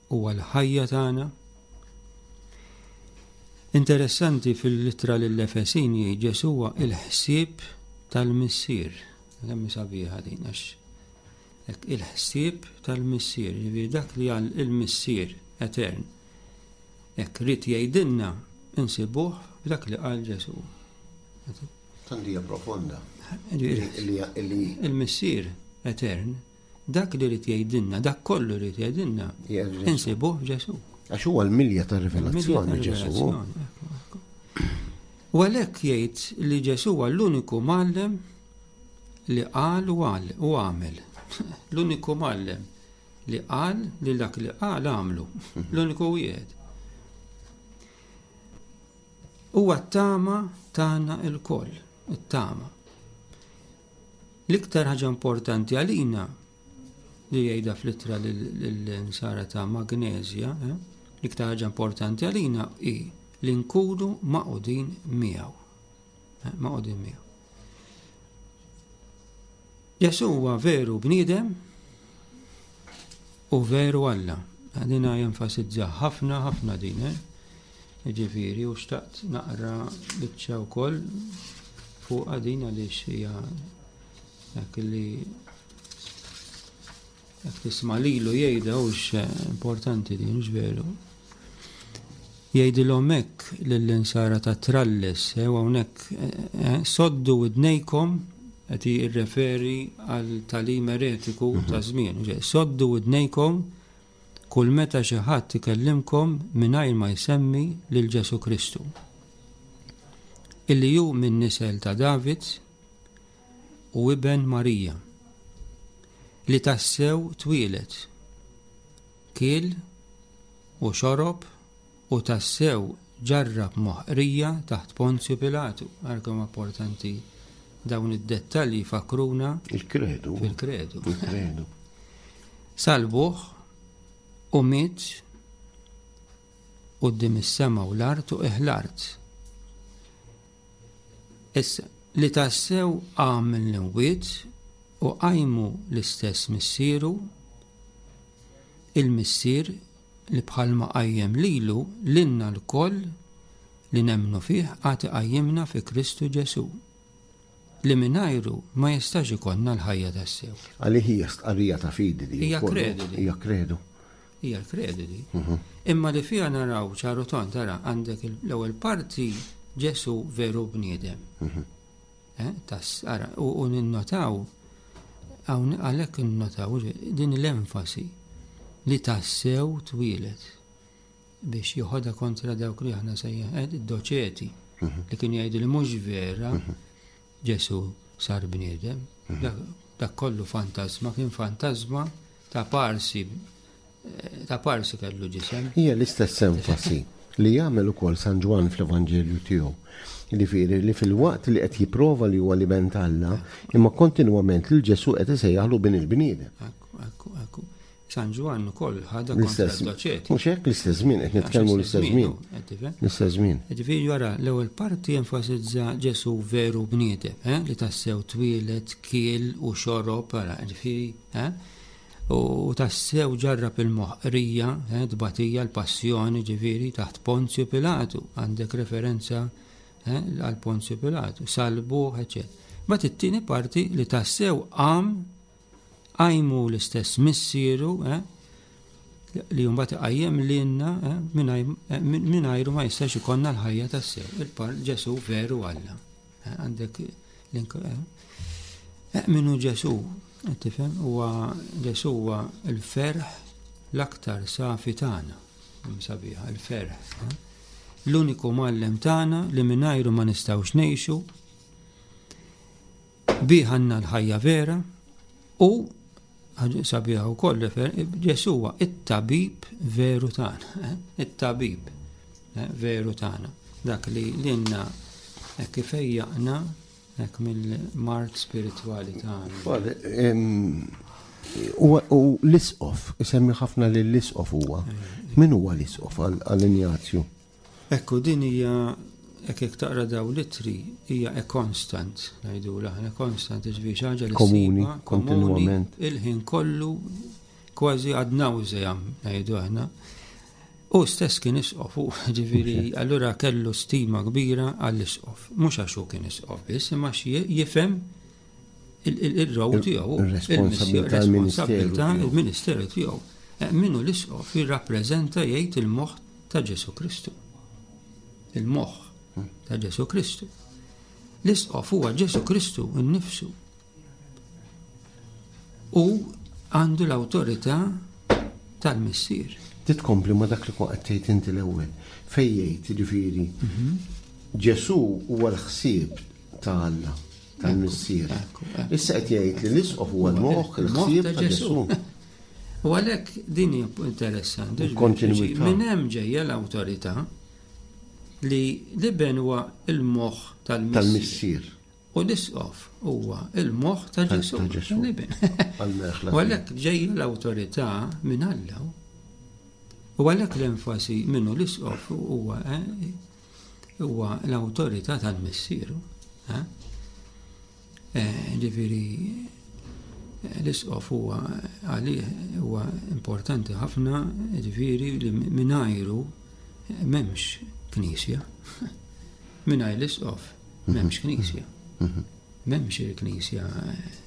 huwa l-ħajja tagħna. Interessanti fil-ittra lill-Efesin jgħid Ġesù huwa il-ħsieb tal-Missier. Kemm sabiħa din għax hekk il-ħsieb tal-Missier, jiġifieri dak li għal il-Missier etern. Hekk rid jgħidilna insibuh f'dak li qal Ġesù. Tant hija profonda. Jiġifieri Il-Missier etern, dak li rid jgħidilna, dak kollu rid jgħidilna, insibuh f'Ġesù. Għax huwa l-milja tar-rivelazzjoni Ġesù. U għalhekk jgħid li Ġesù huwa l-uniku mgħallem li qal u għal u għamel. L-uniku mgħallem li qal li dak li qal għamlu. L-uniku wieħed. Huwa t-tama tagħna lkoll, it-tama. L-iktar ħaġa importanti għalina li jgħidha fl-ittra lill-insara ta' Magnesia, eh? L-iktar ħaġa importanti għalina hi li nkunu magħqudin miegħu. Eh, magħqudin miegħu. Ġesù huwa veru bniedem u veru Alla. Dina jenfasizza ħafna ħafna din, eh? Ġifieri, u xtaqt naqra biċċa wkoll fuq din għaliex hija dak li jekk tisma' lilu jgħidha hux importanti din, hux veru. Jgħidilhom hekk lill-insara ta' Tralles, eh, u hawnhekk eh, soddu widnejkom qed jirreferi għal tagħlim eretiku ta' żmien. Soddu widnejkom kull meta xi ħadd ikellimkom mingħajr ma jsemmi lil Ġesù Kristu. Illi hu minn nisel ta' David u iben Marija, li tassew twieled, kiel u xorob u tassew ġarrab moħqrija taħt Ponzju Pilatu. Ara kemm importanti dawn id-dettalji fakruna Il-kredu. fil-kredu. Il-kredu. Salbuh u miet quddiem is-sema u l-art u l-art. Issa, li tassew qam mill-imwiet u qajmu l-istess missieru, il-missier li bħalma qajjem lilu lilna lkoll li nemmnu fih għad iqajjimna fi Kristu Ġesù, li mingħajru ma jistax ikollna l-ħajja tassew. Għalih hija stqarrija ta' fidi di. Hija wkoll. kredu di. Hija kredu. Hija l-kredu di. Imma li fiha naraw ċaru ton, tara għandek l-ewwel parti Ġesù veru bniedem. Eh, tas, ara, u, u ninnotaw, hawn għalhekk ninnotaw din l-enfasi li tassew twieled biex joħodha kontra dawk li aħna sejjaħ, eh, id-doċeti li kienu jgħidu li mhux vera Ġesù sar bniedem. Dak, dak kollu fantasma, kien fantasma ta' parsi, eh, ta' parsi kellu ġisem. Hija l-istess enfasi li jagħmel ukoll San Ġwann fl-Evanġelju tiegħu. Jiġifieri li fil-waqt li qed jipprova li huwa l-iben t'Alla, imma kontinwament lil Ġesù qed isejjaħlu bin il-bniedem. Ekku, ekku, ekku. San Ġwann ukoll ħadha kontra L-istess d-doċeti. Mhux hekk l-istess żmien qed nitkellmu l-istess żmien. Qed tifhem? L-istess żmien. Ġifieri wara l-ewwel parti enfasizza Ġesù veru bniedem, eh, li tassew twieled, kiel u xorob, ara, ġifieri, eh, u tassew ġarrab il-moħqrija, eh, tbatija, l-passjoni, ġifieri, taħt Ponzju Pilatu, għandek referenza, eh, għal Ponzju Pilatu, salbuh, eċċetera. Mbagħad it-tieni parti li tassew qam qajmu l-istess missieru, eh, li mbagħad iqajjem lilna, eh, mingħajr, eh, mingħajru ma jistax ikollna l-ħajja tassew. Il-par Ġesù veru Alla. Eh, għandek l-ink-, eh, eh, minnu Ġesù, qed tifhem, huwa Ġesù huwa l-ferħ l-aktar safi tagħna. Sabiħa, il-ferħ. Eh? L-uniku mgħallem tagħna li mingħajru ma nistgħux ngħixu, bih għandna l-ħajja vera u ħaġa sabiħa wkoll refer, Ġesù huwa it-tabib veru tagħna, eh? It-tabib, eh, veru tagħna. Dak li lilna hekk kif fejjaqna hekk mill-mard spiritwali tagħna. Father, em, u, u l-isqof, isemmi ħafna li l-isqof huwa. Min huwa l-isqof għal, għal Injazju? Ekku, din hija hekk jekk taqra daw l-ittri hija a constant, ngħidu aħna constant, ġifieri xi ħaġa li Komuni, ssibha, kontinwament. komuni, il-ħin kollu kważi ad nauseam ngħidu aħna. U stess kien isqof, u ġifieri, allura kellu stima kbira għall-isqof. Mhux għax hu kien isqof biss, imma għax jifhem il-role tiegħu, il-responsabilità il-ministeru tiegħu. Eh, Minnu l-isqof jirrappreżenta jgħid il-moħħ ta' Ġesu Kristu. Il-moħħ ta' Ġesu Kristu. L-isqof huwa Ġesu Kristu innifsu. U għandu l-awtorità tal-missier. Titkompli ma dak li kont qed tgħid inti l-ewwel. Fejn jgħid jiġifieri Ġesu huwa l-ħsieb ta' Alla, tal-missier. Issa qed jgħid li l-isqof huwa l-moħħ, il-ħsieb ta' Ġesu. U għalhekk din hija interessanti. Kontinuità. Minn hemm ġejja l-awtorità li l-iben huwa il-moħħ tal-missier. Tal-missier. U l-isqof huwa il-moħħ ta' Ġesu. Ta' Ġesu. L-iben. Għall-merħla U għalhekk ġejja l-awtorità minn Alla. U għalhekk l-enfasi minnu l-isqof huwa eh, huwa l-awtorità tal-missieru. eh? Eh, Ġifieri l-isqof huwa għalih huwa importanti ħafna, ġifieri li mingħajru m'hemmx knisja. Mingħajr l-isqof m'hemmx knisja. M'hemmx il-knisja.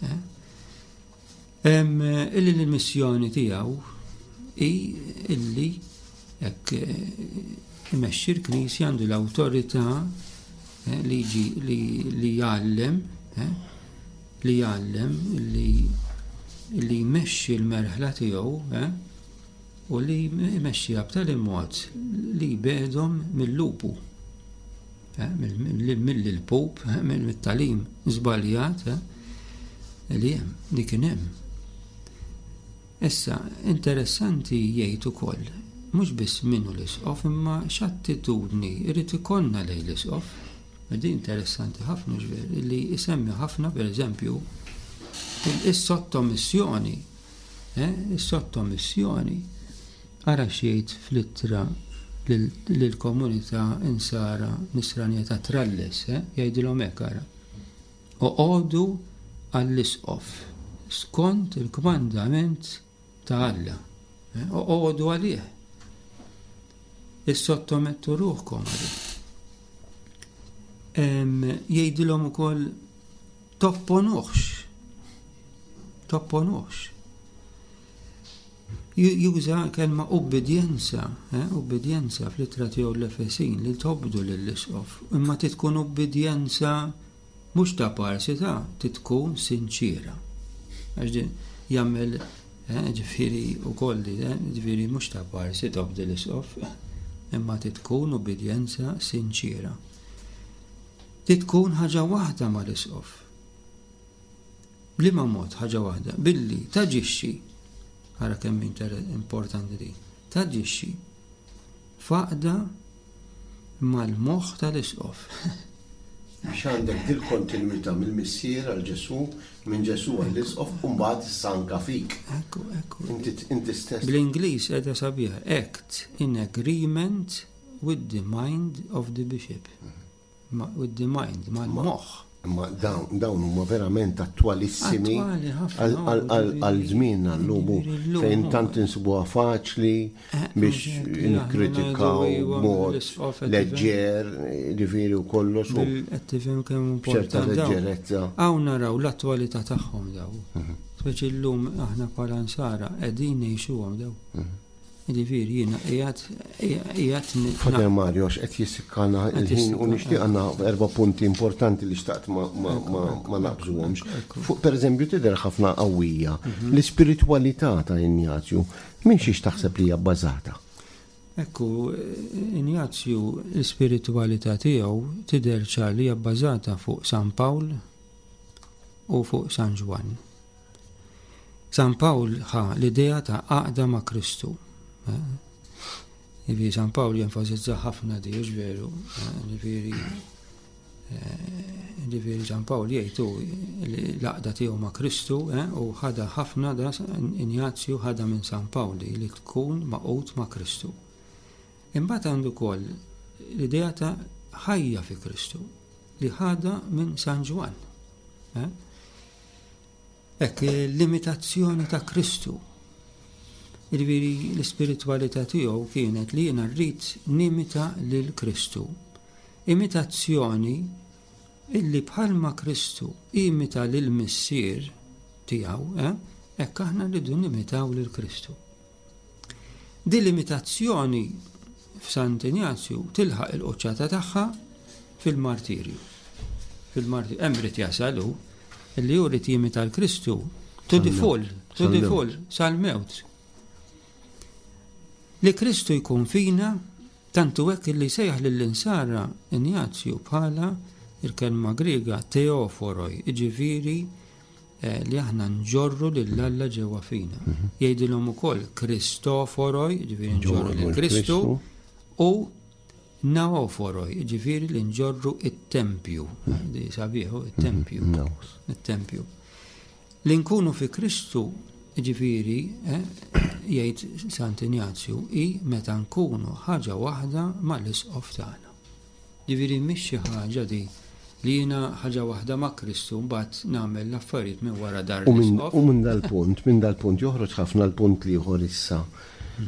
eh? Em, Illi l-missjoni tiegħu hi illi hekk eh, imexxi l-knisja għandu l-awtorità eh, li jiġi li li jgħallem eh, li jgħallem li li jmexxi l-merħla tiegħu eh, u li jmexxiha b'tali mod li jbegħedhom mill-lupu eh, mill-pup, eh, mill-tagħlim żbaljat eh, li hemm, li kien hemm. Issa, interessanti jgħid ukoll, mhux biss minnu l-isqof, imma x'attitudni irid ikollna lejn l-isqof. Din interessanti ħafna ġver, li isemmi ħafna per eżempju is-sottomissjoni. Eh, is-sottomissjoni. Ara x'jgħid fl-ittra lill-komunità insara nisranija ta' Tralles, eh, jgħidilhom hekk ara. Oqogħdu għall-isqof skont il-kmandament ta' Alla. Eh, Oqogħdu għalih. Issottomettu ruħkom għalih. Em, Jgħidilhom ukoll topponuhx. Topponuhx. Ju- Juża kelma ubbidjenza, eh, ubbidjenza fl-ittra tiegħu l-Efesin li tobdu lill-isqof, imma titkun ubbidjenza mhux ta' parsi ta' titkun sinċira. Għax din jagħmel eh, ġifieri ukoll eh, ġifieri mhux ta' parsi tobdi l-isqof, imma titkun ubbidjenza sinċira. Titkun ħaġa waħda mal-isqof. B'liema mod ħaġa waħda? Billi taġixxi, ara kemm inter- importanti din, taġixxi f'għaqda mal-moħħ tal-isqof. Biex għandek dil-kontinuità mill-missier għal Ġesu, minn Ġesu għall-isqof, u mbagħad issa anka fik. Ekku, ekku. Inti inti stess. Bl-Ingliż qiegħda sabiħa, act in agreement with the mind of the bishop. Ma, with the mind, mal-moħħ. Imma dawn dawn huma verament attwalissimi Attwali ħafna, għal- għal- għal għal żmienna llum Ġifieri llum fejn hu. tant insibuha faċli Eh, biex mhux hekk li aħna nikkritikaw ngħidu iva, b'mod l-isqof qed leġġer, ġifieri u kollox u Bil- Qed tifhem kemm b'ċerta importanti dawn. leġġerezza. Hawn naraw l-attwalità tagħhom daw. Speċi llum aħna bħala nsara qegħdin ngħixuhom daw. Jiġifieri jiena qiegħed qiegħed ni- Father Mario, x'qed jissikkana Qed il-ħin u jissikkana. nixtieq għandna erba' punti importanti li xtaqt ma, ma, ma, ma naqbżuhomx. Fuq per eżempju tidher ħafna qawwija l-ispiritwalità ta' Injazju minn xiex taħseb li hija bbażata? Ekku, Injazju l-ispiritualità tiegħu tidher ċar li hija bbażata fuq San Pawl u fuq San Ġwann. San Pawl ħa l-idea ta' għaqda ma' Kristu. eh. Jiġifieri San Pawl jenfasizza ħafna di, hux veru, eh, jiġifieri eh, jiġifieri San Pawl jgħid hu li l-għaqda tiegħu ma' Kristu eh, u ħada ħafna da Injazju ħada minn San Pawl li li tkun magħqud ma' Kristu. Imbagħad għandu wkoll l-idea ta' ħajja fi Kristu li ħada minn San Ġwann. eh. Hekk l-imitazzjoni ta' Kristu. Jiġifieri l-ispiritwalità tiegħu kienet li jiena rrid nimita lil Kristu. Imitazzjoni illi bħalma Kristu imita lil missier tiegħu, eh, hekk aħna rridu nimitaw lil Kristu. Din l-imitazzjoni f'Sant'Injazju tilħaq il-quċċata tagħha fil-martirju. Fil-martirju, hemm irid jasal hu illi hu jrid jimita l-Kristu to the full, to the full, sal-mewt. Li Kristu jkun fina, tantu hekk illi sejjaħ lill-insara Injazju bħala il-kelma Griega teoforoi, jiġifieri eh, li aħna nġorru lil Alla ġewwa fina. Mhm. Jgħidilhom ukoll Kristoforoi, jiġifieri nġorru lil Kristu, u naoforoi, jiġifieri li nġorru it-tempju. Mhm. Di sabiħu, it-tempju. Mhm. It-tempju. Li nkunu fi Kristu, jiġifieri, eh, jgħid Sant'Injazju, i meta nkunu ħaġa waħda mal-isqof tagħna. Jiġifieri mhix xi ħaġa di li jiena ħaġa waħda ma' Kristu mbagħad nagħmel l-affarijiet minn wara dar l-isqof. U minn dal-punt, minn dal-punt joħroġ ħafna l-punt l-ieħor issa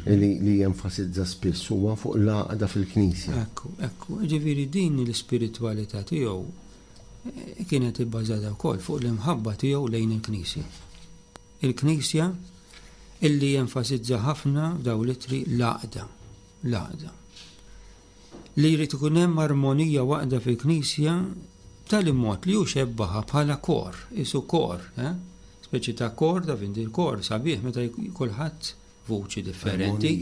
li, li jenfasizza spiss huwa fuq l-għaqda fil-Knisja. Ekku, ekku, jiġifieri din l-ispiritwalità tiegħu eh, kienet ibbażata wkoll fuq l-imħabba tiegħu lejn il-Knisja. Il-Knisja illi jenfasizza ħafna f'daw l-ittri l-għaqda, l-għaqda. Li jrid ikun hemm armonija waħda fil-Knisja b'tali mod li hu xebbaha bħala kor, isu kor, eh? Speċi ta' kor, ta' vindi l-kor sabiħ meta kulħadd vuċi differenti,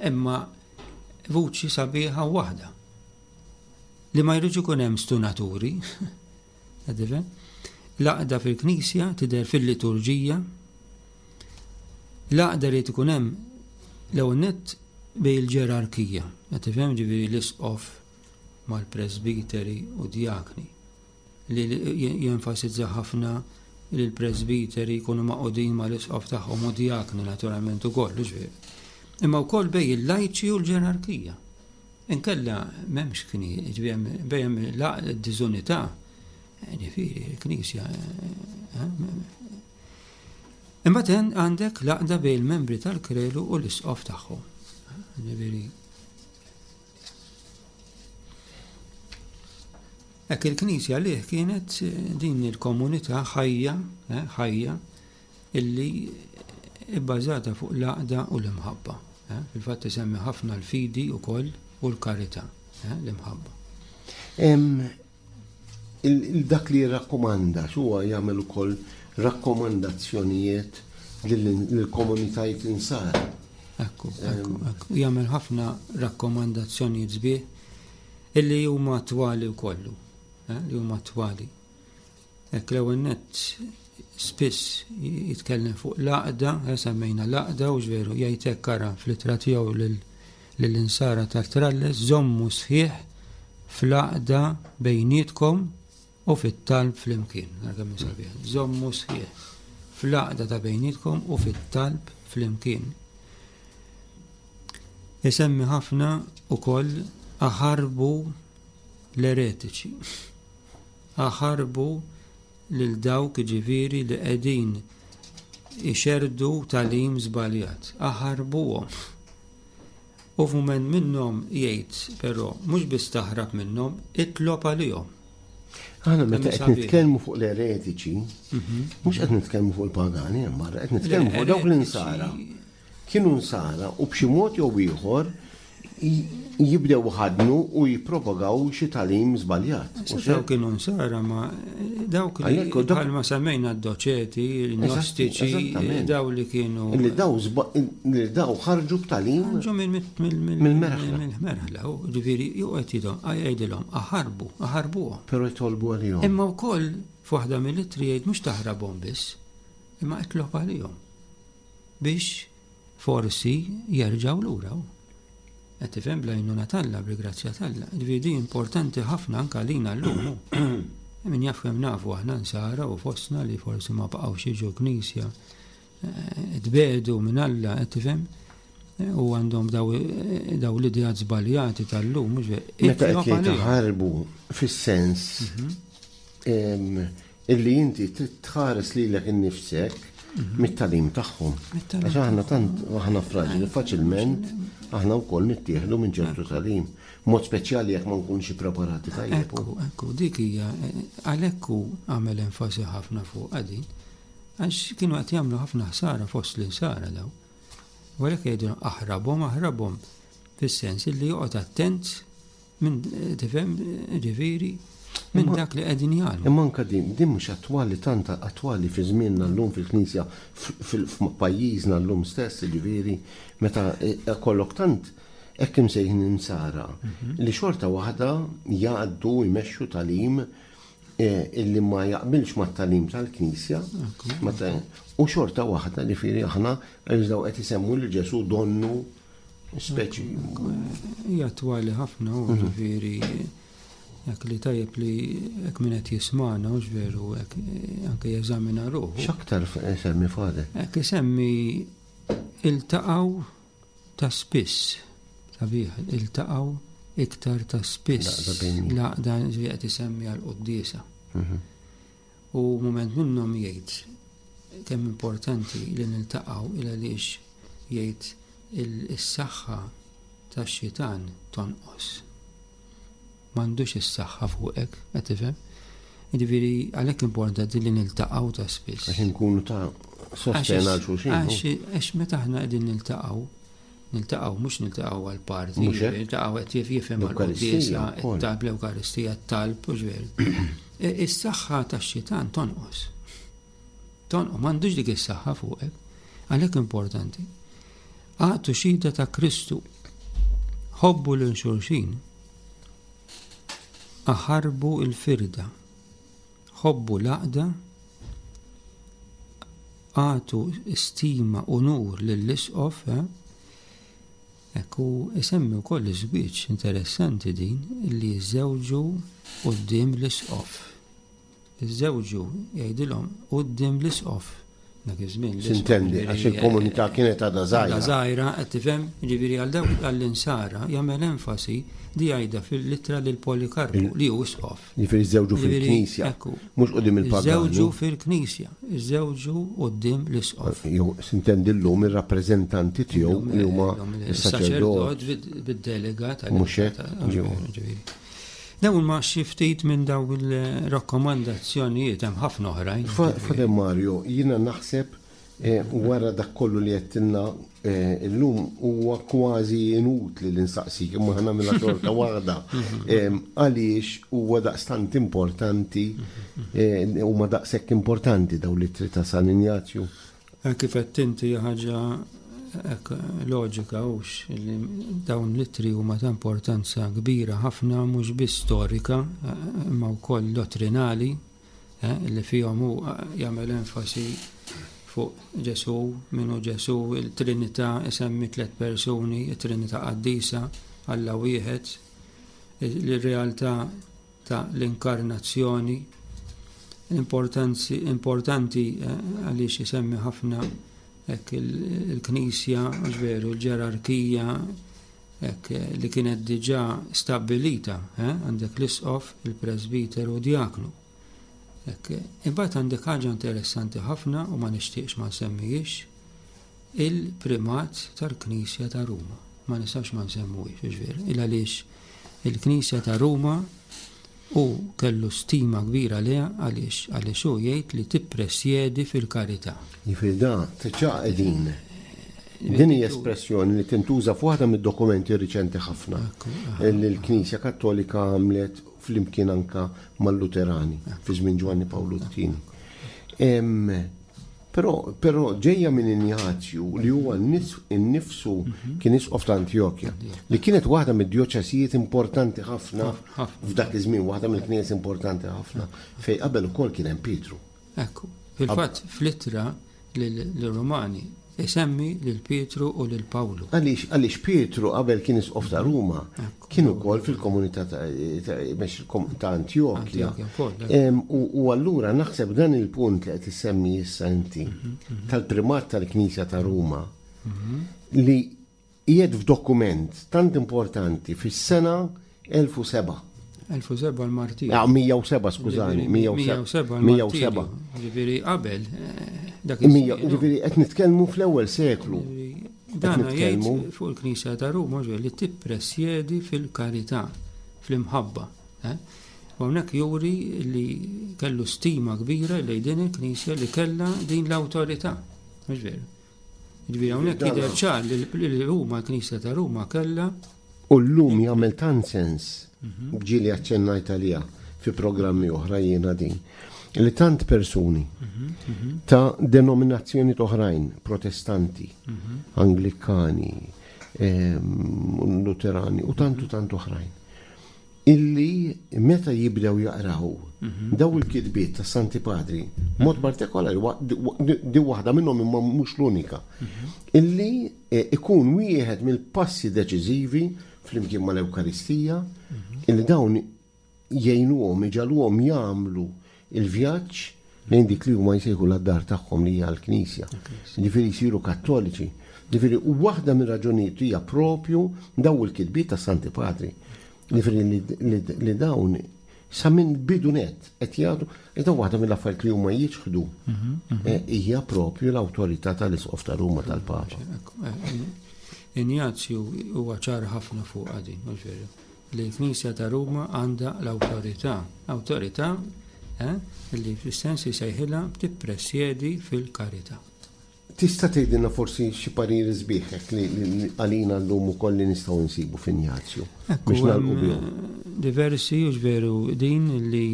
imma vuċi sabiħa waħda. Li ma jridx ikun hemm stunaturi. L-għaqda fil-Knisja tidher fil-liturġija. L-għaqda li ikun hemm l-ewwel nett bejn il-ġerarkija, qed tifhem, ġifieri l-isqof mal-presbiteri u djakni, li jenfasizza ħafna li l-presbiteri jkunu magħqudin mal-isqof tagħhom u djakni naturalment ukoll, ġifieri. Imma wkoll bejn il-lajċi u l-ġerarkija. Inkella m'hemmx kni, ġifieri bejn d-diżunità, ġifieri l-Knisja. Imbagħad għandek l-għaqda bejn il-membri tal-kredu u l-isqof tagħhom. Ġifieri hekk il-Knisja lih kienet din il-komunità ħajja, eh, ħajja illi ibbażata fuq l-għaqda u l-imħabba. Eh, fil-fatt isemmi ħafna l-fidi wkoll u l-karità, eh, l-imħabba. Dak li jirrakkomanda, huwa jagħmel ukoll rakkomandazzjonijiet lill-komunitajiet insara. Ekku, ekku, ekku. Jagħmel ħafna rakkomandazzjonijiet sbieħ illi huma attwali wkollu, eh, li huma attwali. Hekk l-ewwel nett spiss jitkellem fuq l-għaqda, eh, semmejna l-għaqda u veru jgħid hekk ara fl-ittra tiegħu lill-insara tal-Tralles, żommu sħiħ fl-għaqda bejnietkom u fit-talb flimkien. Ara kemm sabiħ. Żommu sħiħ fl-għaqda ta' bejnietkom u fit-talb flimkien. Isemmi ħafna ukoll aħarbu l-eretiċi. Aħarbu lil dawk ġifieri li qegħdin ixerdu tagħlim żbaljat. Aħarbuhom. U f'mument minnhom jgħid però mhux biss taħrab minnhom, itlob għalihom. Aħna meta qed nitkellmu fuq l-eretiċi, mhux qed nitkellmu fuq il-pagani hemm barra, qed nitkellmu fuq dawk l-insara. Kienu nsara u b'xi mod jew ieħor jibdew ħadnu u jippropagaw xi tagħlim żbaljat. Dawk kienu nsara ma dawk li bħalma semmejna d-doċeti, l-gnostiċi, daw li kienu. Li daw li daw ħarġu b'tagħlim. Ħarġu mill-merħla. Mill-merħla, ġifieri juqgħod jgħidilhom aħarbu, aħarbuhom. Però jtolbu għalihom. Imma wkoll f'waħda mill-ittri jgħid mhux taħrabhom biss, imma itlob għalihom biex forsi jerġgħu lura. Qed tifhem bl-għajnuna t'Alla, bil-grazzja t'Alla. Ġifieri din importanti ħafna anke għalina llum. Min jaf kemm nafu aħna nsara u fostna li forsi ma baqgħux jiġu knisja, tbedu minn Alla, qed tifhem? U għandhom daw l-ideat żbaljati tal-lum, mhux veru. Meta qed jgħid ħarbu fis-sens illi inti trid tħares lilek innifsek Mit-tagħlim tagħhom. Għax aħna tant aħna fraġili faċilment aħna wkoll nittieħdu minn ċertu tagħlim. Mod speċjali jekk ma nkunx preparati tajjeb. Ekku, ekku, dik hija għalhekk hu għamel enfasi ħafna fuq din. Għax kienu qed jagħmlu ħafna ħsara fost l-insara daw. U għalhekk jgħidu aħrabhom, aħrabhom fis-sens li joqgħod attent minn tifhem ġifieri minn dak li qegħdin jagħmlu. Imma anke din, din mhux attwali tant attwali fi żmienna llum fil-Knisja f'pajjiżna llum stess, ġifieri meta kollok tant hekk imsejħin insara li xorta waħda jgħaddu jmexxu tagħlim illi ma jaqbilx mat-tagħlim tal-Knisja, u xorta waħda li fieri aħna nżdaw qed isemmu lil Ġesu donnu speċi. Hija attwali ħafna u ġifieri jekk li tajjeb li jekk min qed jismagħna hux veru hekk anke jeżamina ruħu. X'aktar isemmi Father? Hekk isemmi iltaqgħu ta' spiss. Sabiħ, iltaqgħu iktar ta' spiss. L-għaqda qed isemmi għall-quddiesa. U mument minnhom jgħid kemm importanti li niltaqgħu il għaliex jgħid is-saħħa tax-xitan tonqos. M'għandux is-saħħa fuqek, qed tifhem? Jiġifieri għalhekk importanti li niltaqgħu ta' spiss. Għax inkunu ta' sosten għal xulxin. Għax meta aħna qegħdin niltaqgħu, niltaqgħu mhux niltaqgħu għal parti, niltaqgħu qed jifhem għall-quddiesa, it-talb l-Ewkaristija, t-talb u ġveru. Is-saħħa tax-xitan tonqos. Tonqos, m'għandux dik is-saħħa fuqek. Għalhekk importanti. Agħtu xhieda ta' Kristu, ħobbu lil xulxin, aħarbu l-firda, ħobbu l-għaqda, agħtu stima u nur lill-isqof. Ekku isemmi wkoll iż-żwieġ interessanti din li jiżżewġu quddiem l-isqof. Iżżewġu jgħidilhom quddiem l-isqof. Dak iż-żmien. Sintendi, għax il-komunità kienet għadha żgħira. Żgħira, qed tifhem, jiġifieri għal dawk għall-insara jagħmel enfasi di jgħidha fil-ittra lil Polikarpu li hu isqof. Jiġifieri żewġu fil-Knisja, mhux quddiem il-pagani. Żewġu fil-Knisja, żewġu quddiem l-isqof. Jew sintendi llum ir-rappreżentanti tiegħu li huma s-saċerdot bid-delega tal. Mhux hekk. Dawn ma xi ftit minn dawn il-rakkomandazzjonijiet hemm ħafna oħrajn. Father Mario, jiena naħseb wara dak kollu li għedtilna illum huwa kważi inutli li nsaqsik, imma ħa nagħmilha xorta waħda. Għaliex huwa daqstant importanti, huma daqshekk importanti dawn l-ittri ta' San Injazju. Kif qed inti ħaġa loġika hux li dawn l-ittri huma ta' importanza kbira ħafna mhux biss storika imma wkoll dottrinali li fihom hu jagħmel enfasi fuq Ġesu, minnu Ġesu, il-Trinità, isemmi tliet persuni, it-Trinità qaddisa, Alla wieħed, il-realtà ta' l-inkarnazzjoni, importanti għaliex isemmi ħafna hekk il-Knisja, veru, l-ġerarkija hekk li kienet diġà stabbilita, għandek l-isqof, il-presbiteru u diaknu. Imbagħad għandek ħaġa interessanti ħafna u ma nixtieqx ma nsemmihiex, il-primat tal-Knisja ta' Ruma. Ma nistax ma nsemmuhiex, veru, il għaliex il-Knisja ta' Ruma u kellu stima kbira leha għaliex għaliex hu jgħid li tippresjedi fil-karità. Jiġifieri da diġà qegħdin. Din hija espressjoni li tintuża f'waħda mid-dokumenti riċenti ħafna li l-Knisja Kattolika għamlet flimkien anka mal-Luterani fi żmien Ġwanni Pawlu t-tieni. Però però ġejja minn Injazju li huwa nnifsu kien isqof ta' Antjokja, li kienet waħda mid-djoċesijiet importanti ħafna f'dak iż-żmien, waħda mill-knejjes importanti ħafna, fejn qabel ukoll kien hemm Pietru. Ekku, fil-fatt fl-ittra lill-Rumani isemmi lil Pietru u lil Pawlu. Għaliex għaliex Pietru qabel kien isqof ta' Ruma, kien ukoll fil-komunità ta' Antjokja. U allura naħseb dan il-punt li qed issemmi issa inti tal-primat tal-Knisja ta' Ruma li qiegħed f'dokument tant importanti fis-sena elf u seba'. elf u seba' l-martirju. Ah, mija u seba', skużani, mija u seba'. Mija u seba'. Ġifieri qabel Dak Mija, ġifieri qed nitkellmu fl-ewwel seklu. Dan jgħid fuq il-Knisja ta' Ruma li tippresjedi fil-karità, fl-imħabba. Eh? U hawnhekk juri li kellu stima kbira lejn din il-Knisja li kellha din l-awtorità. Mhux veru. Ġifieri hawnhekk jidher ċar li Ruma, l-Knisja ta' Ruma kellha. U llum jagħmel tant sens, mhm. ġieli aċċennajt għaliha fi programmi oħra jiena din, li tant persuni mhm, mhm. ta' denominazzjoni oħrajn, protestanti, anglikani, luterani u tantu tant oħrajn, illi meta jibdew jaqraw daw il-kitbiet ta' Santi Padri, mod partikolari, di waħda minnhom imma mhux l-unika, illi eh, ikun wieħed mill-passi deċiżivi flimkien mal-Ewkaristija, illi dawn jgħinuhom, iġagħluhom jagħmlu il-vjaġġ lejn dik li huma jsejħu d-dar tagħhom li hija l-Knisja. Ġifieri jsiru kattoliċi. Ġifieri u waħda mir-raġunijiet hija propju daw il-kitbiet ta' Santi Padri. Ġifieri li dawn sa minn bidunet qed jgħidu iżda waħda mill-affarijiet li huma jiċħdu mhm, mhm. Eh, hija propju l-awtorità tal-Isqof ta' Ruma tal-Papa. Eh, Injazju huwa ċar ħafna fuq din, mhux veru. Li l-Knisja ta' Ruma għandha l-awtorità. Awtorità eh, li fis-sens jsejħilha tippresjedi fil-karità. Tista' tgħidilna forsi xi pariri sbieħ li għalina llum ukoll li nistgħu nsibu f'Injazju biex nagħlqu bihom. Diversi u veru din li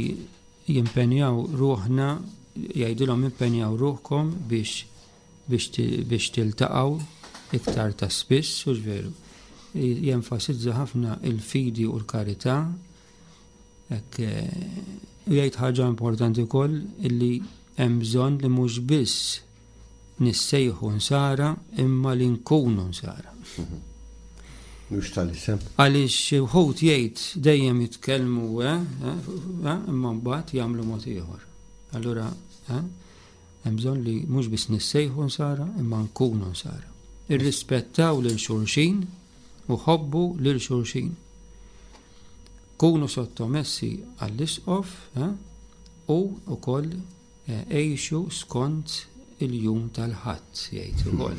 jimpenjaw ruħna, jgħidilhom impenjaw ruħkom biex biex tiltaqgħu iktar ta' spiss u veru. Jenfasizza ħafna il-fidi u l-karità. Hekk u jgħid ħaġa importanti wkoll illi hemm bżonn li mhux biss nissejħu nsara imma li nkunu nsara. Mhux tal-isem. Għaliex wħud jgħid dejjem jitkellmu eh, eh, imma mbagħad jagħmlu mod ieħor. Allura eh, hemm bżonn li mhux biss nissejħu nsara imma nkunu nsara. Irrispettaw lil xulxin u ħobbu lil xulxin. Kunu sottomessi għall-isqof u wkoll għixu skont il-jum tal-Ħadd, jgħid ukoll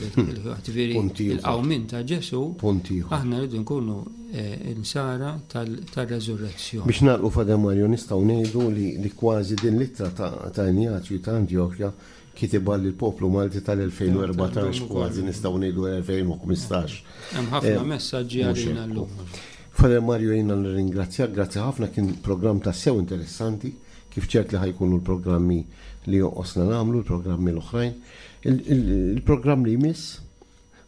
ġifieri il-qawmien ta' Ġesù. Aħna rridu nkunu insara tar-reżurrezzjoni. Biex nagħlqu Father Mario nistgħu ngħidu li kważi din l-ittra ta' Injazju ta' Antjokja kitibha lill-poplu Malti tal-elfejn u erbatax, kważi nistgħu ngħidu elfejn u ħmistax. Hemm ħafna messaġġi għalina llum. Father Mario jiena nirringrazzjak, grazzi ħafna, kien programm tassew interessanti, kif ċert li ħajkunu l-programmi li jonqosna nagħmlu, l-programmi l-oħrajn. Il-programm li jmiss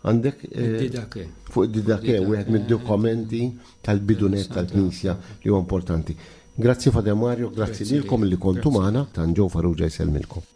għandek Id-Didake. Fuq id-Didake, wieħed mid-dokumenti tal-bidunet tal-Knisja li huwa importanti. Grazzi Father Mario, grazzi lilkom li kontu magħna, tan Joe Farrugia jsellmilkom.